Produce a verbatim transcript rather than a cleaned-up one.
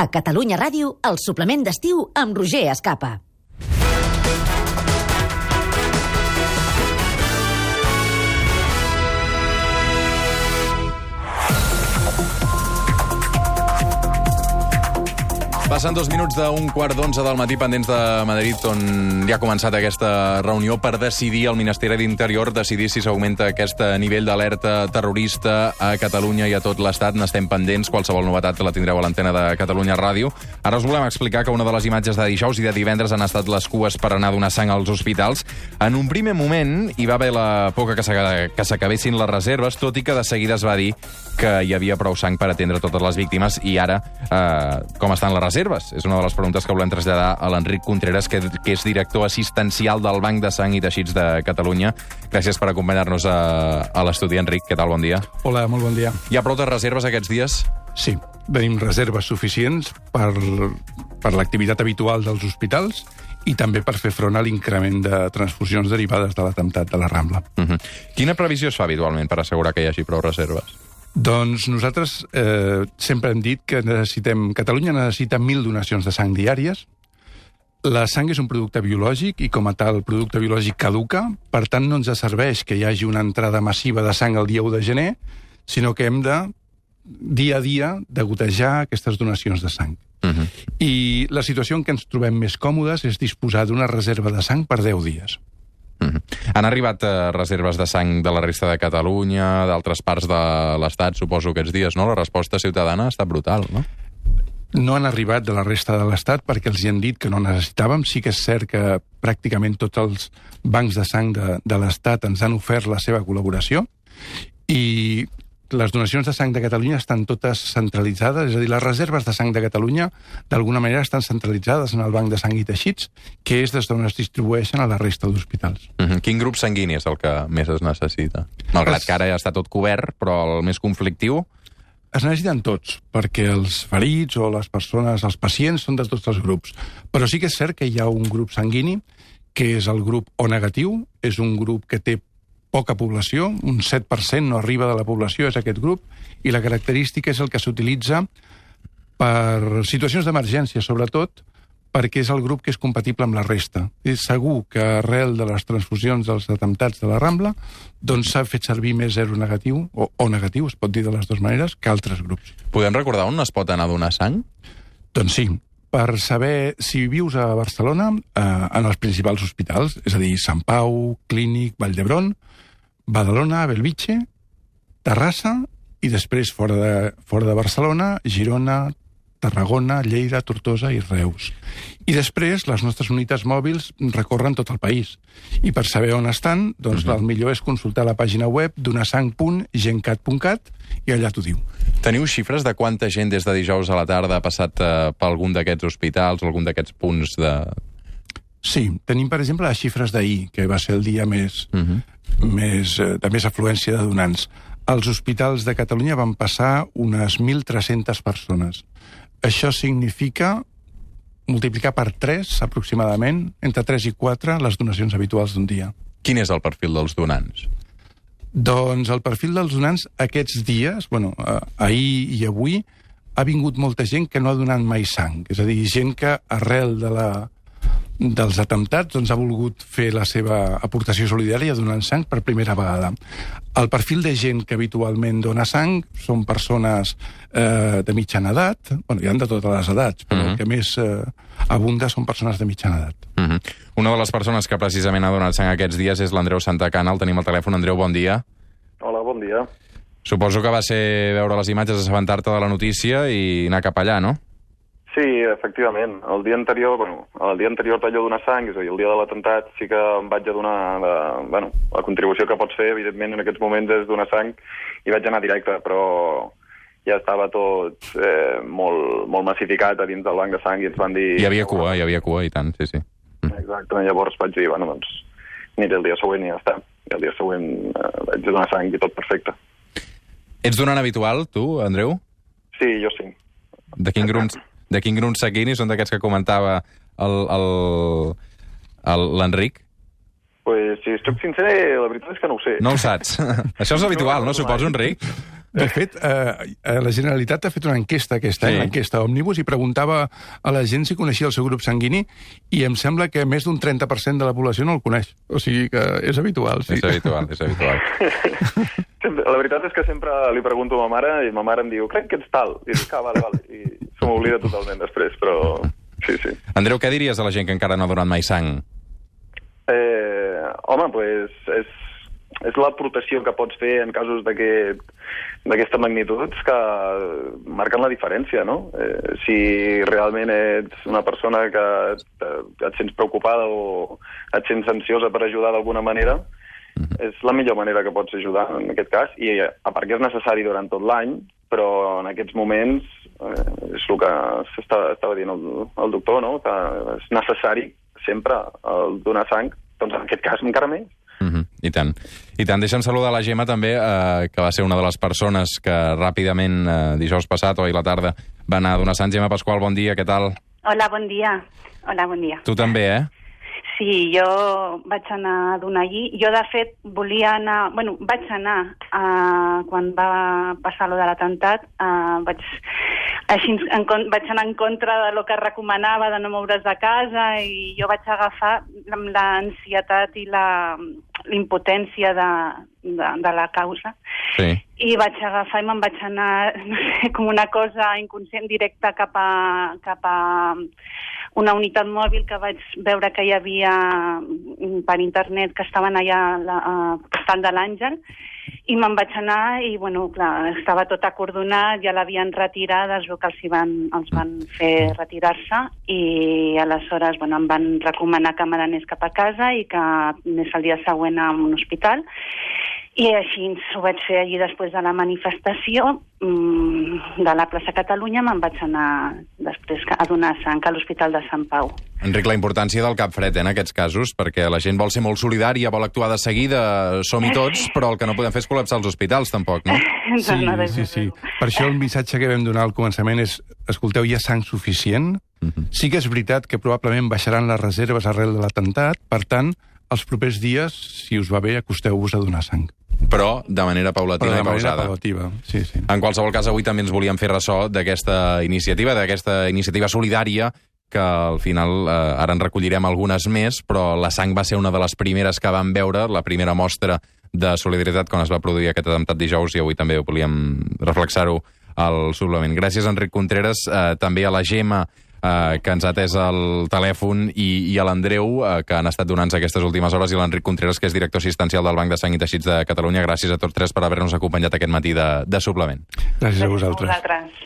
A Catalunya Ràdio, el suplement d'estiu amb Roger Escapa. Passen dos minuts d'un quart d'onze del matí pendents de Madrid, on ja ha començat aquesta reunió per decidir el Ministeri d'Interior, decidir si s'augmenta aquest nivell d'alerta terrorista a Catalunya i a tot l'Estat. N'estem pendents, qualsevol novetat la tindreu a l'antena de Catalunya Ràdio. Ara us volem explicar que una de les imatges de dijous i de divendres han estat les cues per anar a donar sang als hospitals. En un primer moment hi va haver la por que s'acabessin les reserves, tot i que de seguida es va dir que hi havia prou sang per atendre totes les víctimes. I ara, eh, com estan les reserves? És una de les preguntes que volem traslladar a l'Enric Contreras, que, que és director assistencial del Banc de Sang i Teixits de Catalunya. Gràcies per acompanyar-nos a, a l'estudi, Enric. Què tal? Bon dia. Hola, molt bon dia. Hi ha prou de reserves aquests dies? Sí, tenim reserves suficients per, per l'activitat habitual dels hospitals i també per fer front a l'increment de transfusions derivades de l'atemptat de la Rambla. Uh-huh. Quina previsió es fa habitualment per assegurar que hi hagi prou reserves? Doncs nosaltres eh, sempre hem dit que necessitem... Catalunya necessita mil donacions de sang diàries. La sang és un producte biològic i, com a tal, producte biològic caduca. Per tant, no ens serveix que hi hagi una entrada massiva de sang el dia u de gener, sinó que hem de, dia a dia, de gotejar aquestes donacions de sang. Uh-huh. I la situació en què ens trobem més còmodes és disposar d'una reserva de sang per deu dies. Uh-huh. Han arribat eh, reserves de sang de la resta de Catalunya, d'altres parts de l'Estat, suposo, aquests dies, no? La resposta ciutadana ha estat brutal, no? No han arribat de la resta de l'Estat perquè els hi han dit que no necessitàvem. Sí que és cert que pràcticament tots els bancs de sang de, de l'Estat ens han ofert la seva col·laboració i les donacions de sang de Catalunya estan totes centralitzades, és a dir, les reserves de sang de Catalunya d'alguna manera estan centralitzades en el Banc de Sang i Teixits, que és des d'on es distribueixen a la resta d'hospitals. Uh-huh. Quin grup sanguini és el que més es necessita? Malgrat es... que ara ja està tot cobert, però el més conflictiu... Es necessiten tots, perquè els ferits o les persones, els pacients, són de tots els grups. Però sí que és cert que hi ha un grup sanguini, que és el grup O negatiu, és un grup que té poca població, un set per cent no arriba de la població, és aquest grup, i la característica és el que s'utilitza per situacions d'emergència, sobretot, perquè és el grup que és compatible amb la resta. És segur que arrel de les transfusions dels atemptats de la Rambla doncs s'ha fet servir més zero negatiu, o O negatiu, es pot dir de les dues maneres, que altres grups. Podem recordar on es pot anar a donar sang? Doncs sí. Per saber si vius a Barcelona, eh, en els principals hospitals, és a dir, Sant Pau, Clínic, Vall d'Hebron, Badalona, Bellvitge, Terrassa i després fora de, fora de Barcelona, Girona, Tarragona, Lleida, Tortosa i Reus. I després les nostres unitats mòbils recorren tot el país. I per saber on estan, doncs uh-huh. el millor és consultar la pàgina web donasang punt gencat punt cat i allà t'ho diu. Teniu xifres de quanta gent des de dijous a la tarda ha passat eh, per algun d'aquests hospitals, algun d'aquests punts de... Sí, tenim, per exemple, les xifres d'ahir, que va ser el dia més, uh-huh. més, eh, de més afluència de donants. Als hospitals de Catalunya van passar unes mil tres-centes persones. Això significa multiplicar per tres, aproximadament, entre tres i quatre, les donacions habituals d'un dia. Quin és el perfil dels donants? Doncs el perfil dels donants aquests dies, bueno, eh, ahir i avui, ha vingut molta gent que no ha donat mai sang. És a dir, gent que arrel de la... dels atemptats, doncs ha volgut fer la seva aportació solidària donant sang per primera vegada. El perfil de gent que habitualment dona sang són persones eh, de mitjana edat, bueno, hi ha de totes les edats, però uh-huh. el que més eh, abunda són persones de mitjana edat. Uh-huh. Una de les persones que precisament ha donat sang aquests dies és l'Andreu Santacana. El tenim al telèfon. Andreu, bon dia. Hola, bon dia. Suposo que va ser veure les imatges, assabentar-te de la notícia i anar cap allà, no? Sí, efectivament. El dia anterior, bueno, el dia anterior d'allò donar sang, és a dir, el dia de l'atemptat, sí que em vaig a donar la, bueno, la contribució que pots fer, evidentment, en aquests moments és donar sang, i vaig anar directe, però ja estava tot eh, molt, molt massificat a dins del banc de sang i ens van dir... Hi havia cua, hi havia cua, i tant, sí, sí. Exacte, llavors vaig dir, bueno, doncs, aniré el dia següent i ja està. I el dia següent eh, vaig donar sang i tot perfecte. Ets donant habitual, tu, Andreu? Sí, jo sí. De quin grup... De quin grup sanguini són d'aquests que comentava l'Enric? Pues, si estic sincer, la veritat és que no ho sé. No ho saps. Això és habitual, no, no suposo, Enric? De fet, eh, la Generalitat ha fet una enquesta aquest any, Sí. l'enquesta Òmnibus, i preguntava a la gent si coneixia el seu grup sanguini, i em sembla que més d'un trenta per cent de la població no el coneix. O sigui que és habitual, sí. És habitual, és habitual. La veritat és que sempre li pregunto a ma mare i ma mare em diu, crec que ets tal. I dic, ah, vale, vale. I se m'oblida totalment després, però sí, sí. Andreu, què diries a la gent que encara no ha donat mai sang? Eh, home, pues, és, és l'aportació que pots fer en casos d'aquest d'aquesta magnitud que marquen la diferència, no? Eh, si realment ets una persona que et, et sents preocupada o et sents ansiosa per ajudar d'alguna manera, és la millor manera que pots ajudar en aquest cas, i a part que és necessari durant tot l'any, però en aquests moments eh, és el que s'estava estava dient el, el doctor, no? Que és necessari sempre el donar sang, doncs en aquest cas encara més. Uh -huh. I tant. I tant. Deixa'm saludar la Gemma també, eh, que va ser una de les persones que ràpidament, eh, dijous passat o ahir a la tarda, va anar a donar sang. Gemma Pasqual, bon dia, què tal? Hola, bon dia. Hola, bon dia. Tu també, eh? Sí, jo vaig anar a donar allí. Jo, de fet, volia anar... Bueno, vaig anar uh, quan va passar allò de l'atemptat. Uh, vaig, així, en, vaig anar en contra de lo que recomanava de no moure's de casa, i jo vaig agafar l'ansietat i la l'impotència de, de, de la causa. Sí. I vaig agafar i me'n vaig anar, no sé, com una cosa inconscient directa cap a, cap a una unitat mòbil que vaig veure que hi havia per internet, que estaven allà al Portal de l'Àngel, i me'n vaig anar i, bueno, clar, estava tot acordonat, ja l'havien retirat, es veu que els, hi van, els van fer retirar-se, i aleshores, bueno, em van recomanar que me n'anés cap a casa i que anés el dia següent a un hospital. I així ho vaig fer allí després de la manifestació mmm, de la plaça Catalunya. Me'n vaig anar després a donar sang a l'Hospital de Sant Pau. Enric, la importància del cap fred, eh, en aquests casos, perquè la gent vol ser molt solidària, vol actuar de seguida, som-hi tots, però el que no podem fer és col·lapsar els hospitals, tampoc, no? Sí, sí, sí. Per això el missatge que vam donar al començament és, escolteu, hi ha sang suficient? Uh-huh. Sí que és veritat que probablement baixaran les reserves arrel de l'atemptat, per tant, els propers dies, si us va bé, acosteu-vos a donar sang. Però de manera paulatina Però de i pausada. manera paulativa, sí, sí. En qualsevol cas, avui també ens volíem fer ressò d'aquesta iniciativa, d'aquesta iniciativa solidària, que al final eh, ara en recollirem algunes més, però la sang va ser una de les primeres que vam veure, la primera mostra de solidaritat quan es va produir aquest atemptat dijous, i avui també volíem reflexar-ho al suplement. Gràcies, Enric Contreras, eh, també a la Gemma, Uh, que ens ha atès el telèfon, i, i a l'Andreu, uh, que han estat donant-nos aquestes últimes hores, i l'Enric Contreras, que és director assistencial del Banc de Sang i Teixits de Catalunya. Gràcies a tots tres per haver-nos acompanyat aquest matí de, de suplement. Gràcies a vosaltres. Gràcies a vosaltres.